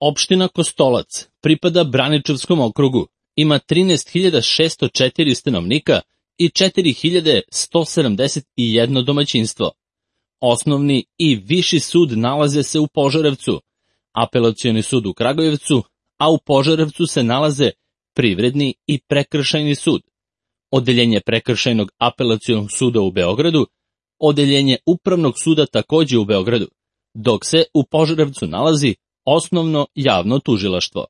Opština Kostolac pripada Braničevskom okrugu, ima 13.604 stanovnika i 4.171 domaćinstvo. Osnovni i viši sud nalaze se u Požarevcu, apelacioni sud u Kragujevcu, a u Požarevcu se nalaze Privredni i Prekršajni sud, odeljenje Prekršajnog apelacionog suda u Beogradu, odeljenje Upravnog suda takođe u Beogradu, dok se u Požarevcu nalazi Osnovno javno tužilaštvo.